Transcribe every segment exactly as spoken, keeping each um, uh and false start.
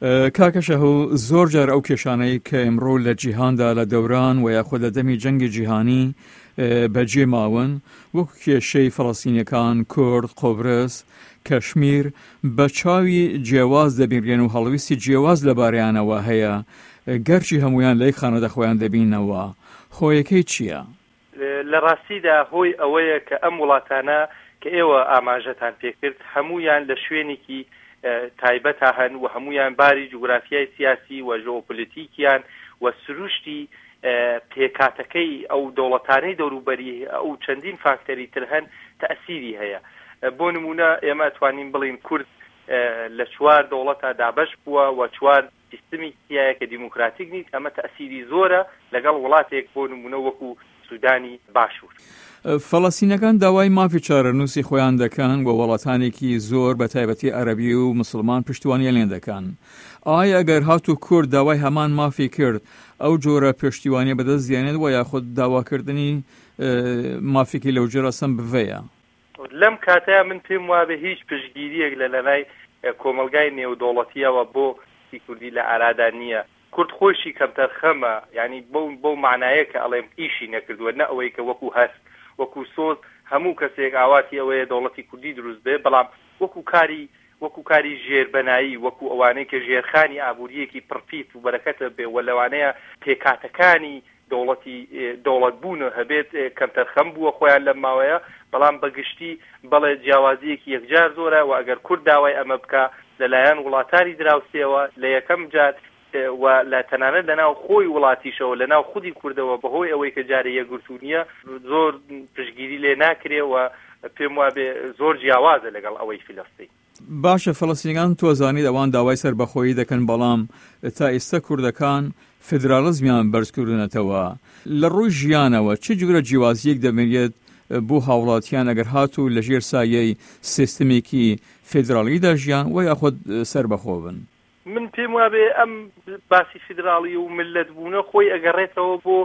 کاکە شەهۆ، زۆر جار ئەو کێشانەی کە ئیمڕۆ لە جیهاندا لە دەوران و یاخود لە دەمی جەنگی جیهانی بەجێ ماون، وەکو کێشەی فەڵەستینیەکان، کورد، قوبرس، کەشمیر، بە چاوی جیاواز دەبینرێن و هەڵویستی جیاواز لەبارەیانەوە هەیە، گەرچی هەموویان لە یەک خانەدا خۆیان دەبیننەوە. هۆیەکەی چییە؟ لە ڕاستیدا هۆی ئەوەیە کە ئەم وڵاتانە کە ئێوە ئاماژەتان پێکرد هەموویان لە شوێنێکی تایبەتا هەن و هەموویان باری جوگرافیای سیاسی و ژئۆپۆلیتیکیان و سروشتی پێکهاتەکەی ئەو دەوڵەتانەی دەوروبەری ئەو چەندین فاکتەری تر هەن تەئسیری هەیە. بۆ نموونە ئێمە ئەتوانین بڵێین کورد لە چوار دەوڵەتا دابەش بووە و چوار سیستمی تیایە کە دیموکراتیک نیت، ئەمە تەئسیری زۆرە لەگەڵ وڵاتێک بۆ نموونە وەکو سودانی باشوور. فەڵەستینەکان داوای مافی چارەنووسی خۆیان دەکەن و وڵاتانێکی زۆر بە تایبەتی عەرەبی و مسوڵمان پشتیوانیان لێ دەکەن. ئایا ئەگەر هاتوو کورد داوای هەمان مافی کرد ئەو جۆرە پشتیوانیە بەدەست دێنێت و یاخود داواکردنی مافێکی لەو جۆرە سەم بڤەیە؟ لەم کاتەیا من پێم وابێ هیچ پشتگیریەک لە لەلای کۆمەڵگای نێودەوڵەتیەوە بۆ پرسی کوردی لە ئارادا نیە. کورد خۆیشی کەمتەرخەمە، یانی بەو بەو مەعنایە کە ئەڵێم ئیشی نەکردووە، نە ئەوەی کە وەکوو هەست، وەکوو سۆز هەموو کەسێک ئاواتی ئەوەیە دەوڵەتی کوردی دروست بێ، بەڵام وەکوو کاری وەکوو کاری ژێربەنایی، وەکوو ئەوانەی کە ژێرخانی ئابوورییەکی پڕپیت و بەرەکەتە بێ و لەوانەیە پێکهاتەکانی دەوڵەتی دەوڵەت بوون هەبێت، کەمتەرخەم بووە خۆیان لەم ماوەیە، بەڵام بە گشتی بەڵێ جیاوازییەکی یەکجار زۆرە و ئەگەر کورد داوای ئەمە بکا لە لایەن وڵاتانی دراوسێوە لە یەکەم جار و لە تەنانەت لە ناو خۆی وڵاتیشەوە لە ناو خودی کوردەوە بە هۆی ئەوەی کە جارێ یەکگرتوو نییە زۆر پشتگیری لێ ناکرێ و پێم وابێ زۆر جیاوازە لەگەڵ ئەوەی فیلەستین. باشە فەڵەستینەکان تۆ ئەزانیت ئەوان داوای سەربەخۆیی دەکەن بەڵام تا ئیستا کوردەکان فیدراڵزمیان بەرز کردونەتەوە لە ڕووی ژیانەوە چ جورە جیوازیەک دەبینرێت بۆ هاوڵاتیان ئەگەر هاتوو لە ژێر سایەی سیستمێکی فیدراڵیدا ژیان وە یاخود سەربەخۆ بن؟ من پێم وابێ ئەم باسی فیدراڵی و میللەت بوونە خۆی ئەگەڕێتەوە بۆ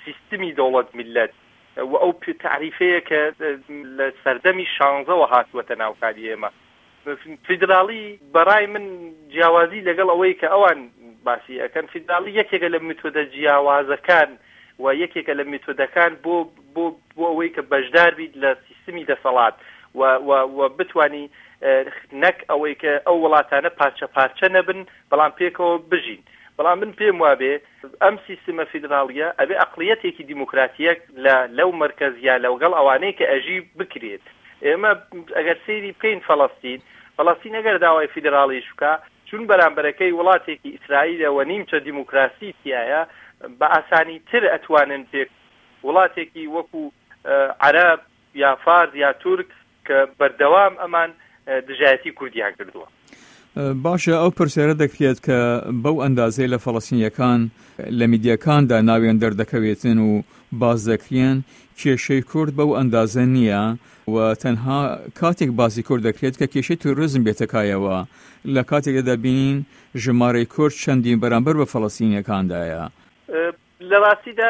سیستمی دەوڵەت میللەت و ئەو تەعریفەیە کە لە سەردەمی شانزەوە هاتووەتە ناو کاری ئێمە. فیدراڵی بەڕای من جیاوازی لەگەڵ ئەوەی کە ئەوان باسی ئەکەن، فیدراڵی یەکێکە لە میتۆدە جیاوازەکان و یەکێکە لە میتۆدەکان بۆ بۆ بۆ ئەوەی کە بەشدار بیت لە سیستمی دەسەڵات و و و بتوانی نەک ئەوەی کە ئەو وڵاتانە پارچە پارچە نەبن بەڵام پێکەوە بژین. بەڵام من پێم وابێ ئەم سیستمە فیدراڵیە ئەبێ ئەقڵیەتێکی دیموکراتیەک لە لەو مەرکەز یا لەگەڵ ئەوانەی کە ئەژی بکرێت. ئێمە ئەگەر سەیری بکەین فەڵەستین، فەڵەستین ئەگەر داوای فیدراڵیش بکا چون بەرامبەرەکەی وڵاتێکی ئیسرائیلە و نیمچە دیموکراسی تیایە بە ئاسانی تر ئەتوانن پێک وڵاتێکی وەکو عەرەب یا فارس یا تورک کە بەردەوام ئەمان دژایەتی کوردیان کردووە. باشە ئەو پرسیارە دەکرێت کە بەو ئەندازەی لە فەڵەستینیەکان لە میدیاکاندا ناویان دەردەکەوێتن و باس دەکرێن کێشەی کورد بەو ئەندازە نییە و تەنها کاتێک باسی کورد دەکرێت کە کێشەی تیرۆریزم بێتە کایەوە لە کاتێکدا دەبینین ژمارەی کورد چەندین بەرامبەر بە فەڵەستینیەکاندایە. لە ڕاستیدا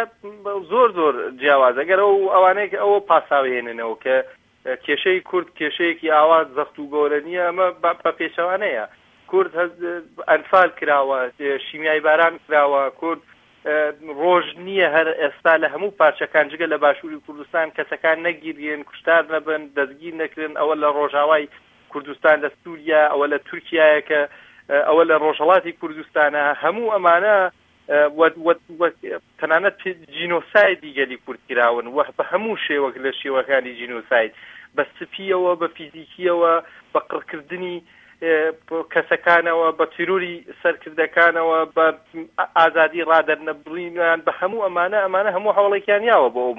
زۆر زۆر جیاوازە گەر ئەو ئەوانەیە کە ئەوە پاساوهێننەوە کە کێشەی کورد کێشەیەکی ئاوا زەخت و گەورە نییە ئەمە بە پێچەوانەیە کورد ئەنفال کراوە شیمیای باران کراوە کورد ڕۆژ نییە هەر ئێستا لە هەموو پارچەکان جگە لە باشووری کوردستان کەسەکان نەگیرێن کوشتار نەبن دەستگیر نەکرێن ئەوە لە ڕۆژاوای کوردستان لە سووریا ئەوە لە تورکایە کە ئەوە لە ڕۆژهڵاتی کوردستانە هەموو ئەمانە و و و تەنانەت جینۆسایدی گەلی کورد کراون و بە هەموو شێوەک لە شێوەکانی جینۆساید بە سپییەوە بە فیزیکییەوە بە قڕکردنی کەسەکانەوە بە تیرۆری سەرکردەکانەوە بە ئازادی ڕادەرنەبڕینیان بە هەموو ئەمانە ئەمانە هەموو هەوڵێکیان یاوە بۆ ئەو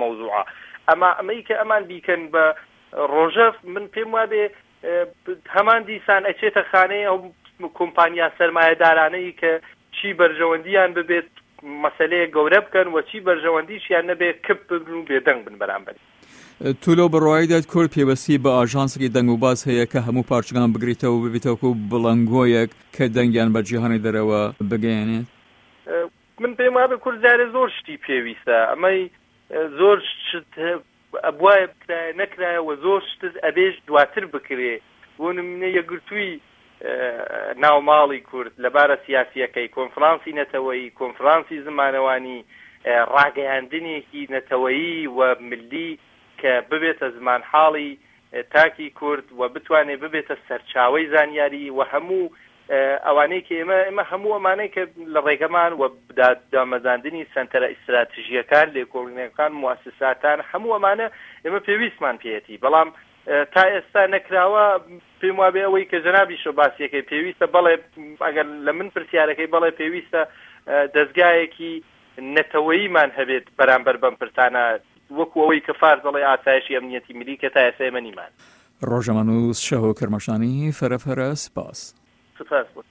مەوزوعە ئەما ئەمەی کە ئەمان بیکەن بە ڕۆژەڤ من پێم وابێ هەمان دیسان ئەچێتە خانەی ئەو کۆمپانیا سەرمایەدارانەی کە چی بەرژەوەندیان ببێت مەسەلەیەک گەورە بکەن و چی بەرژەوەندیشیان نەبێت کپ ببن و بێدەنگ بن بەرامبەری. تۆ لەو بڕوایەدایت کورد پێوەستی بە ئاژانسێکی دەنگوباس هەیە کە هەموو پارچەکان بگریتەوە و ببێتە وەکو بڵنگۆیەک کە دەنگیان بە جیهانی دەرەوە بگەیەنێت؟ من پێم وابێ کورد جارێ زۆر شتی پێویستە ئەمەی زۆر شت ئەبوایە بکرایە نەکرایە و زۆر شتت ئەبێش دواتر بکرێ بۆ نمونە یەکگرتووی ناو ماڵی کورد لە بارە سیاسییەکەی، کۆنفرانسی نەتەوەیی، کۆنفرانسی زمانەوانی، ڕاگەیاندنێکی نەتەوەیی و ملی کە ببێتە زمانحاڵی تاکی کورد و بتوانێت ببێتە سەرچاوەی زانیاری و هەموو ئەوانەی کە ئێمە ئێمە هەموو ئەمانەی کە لە ڕێگەمان و دامەزاندنی سەنتەرە ئیستراتژییەکان، لێکۆڵینەکان، موئەسساتان، هەموو ئەمانە ئێمە پێویستمان پێیەتی، بەڵام تا ئێستا نەکراوە. پێم وابێ ئەوەی کە جەنابیشەوە باسیەکەی پێویستە، بەڵێ ئەگەر لە من پرسیارەکەی بەڵێ پێویستە دەزگایەکی نەتەوەییمان هەبێت بەرامبەر بەم پرسانە، وەکو ئەوەی کە فارس دەڵێ ئاسایشی ئەمنیەتی ملی کە تا ئێستا ئێمە نیمان. ڕۆژنامەنووس شاهۆ کرماشانی، فەرە فەرە سپاس. سپاس بۆ.